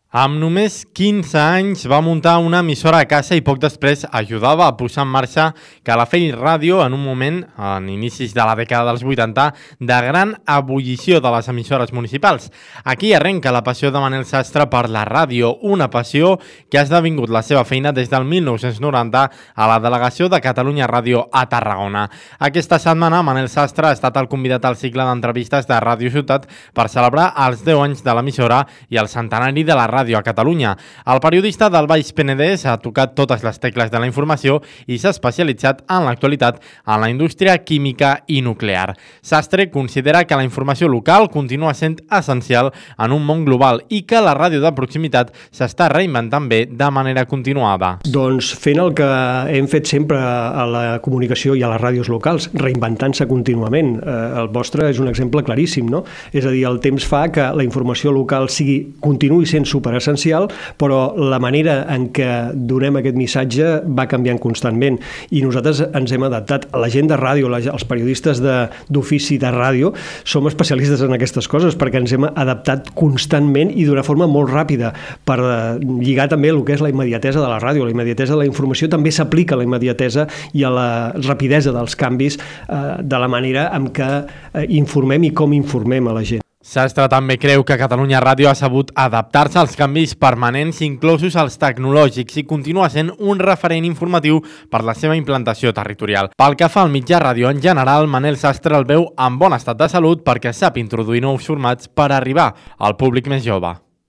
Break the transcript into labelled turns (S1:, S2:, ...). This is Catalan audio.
S1: Amb només 15 anys va muntar una emissora a casa i poc després ajudava a posar en marxa Calafell Ràdio en un moment, en inicis de la dècada dels 80, de gran ebullició de les emissores municipals. Aquí arrenca la passió de Manel Sastre per la ràdio, una passió que ha esdevingut la seva feina des del 1990 a la delegació de Catalunya Ràdio a Tarragona. Aquesta setmana Manel Sastre ha estat el convidat al cicle d'entrevistes de Ràdio Ciutat per celebrar els 10 anys de l'emissora i el centenari de la ràdio a Catalunya. El periodista del Baix Penedès ha tocat totes les tecles de la informació i s'ha especialitzat en l'actualitat en la indústria química i nuclear. Sastre considera que la informació local continua sent essencial en un món global i que la ràdio de proximitat s'està reinventant bé de manera continuada.
S2: Doncs fent el que hem fet sempre a la comunicació i a les ràdios locals, reinventant-se contínuament. El vostre és un exemple claríssim, no? És a dir, el temps fa que la informació local continuï sent superessencial, però la manera en què donem aquest missatge va canviant constantment i nosaltres ens hem adaptat. La gent de ràdio, els periodistes d'ofici de ràdio, som especialistes en aquestes coses perquè ens hem adaptat constantment i d'una forma molt ràpida per lligar també el que és la immediatesa de la ràdio. La immediatesa de la informació també s'aplica a la immediatesa i a la rapidesa dels canvis de la manera en què informem i com informem a la gent.
S1: Sastre també creu que Catalunya Ràdio ha sabut adaptar-se als canvis permanents, inclosos els tecnològics, i continua sent un referent informatiu per la seva implantació territorial. Pel que fa al mitjà ràdio en general, Manel Sastre el veu en bon estat de salut perquè sap introduir nous formats per arribar al públic més jove.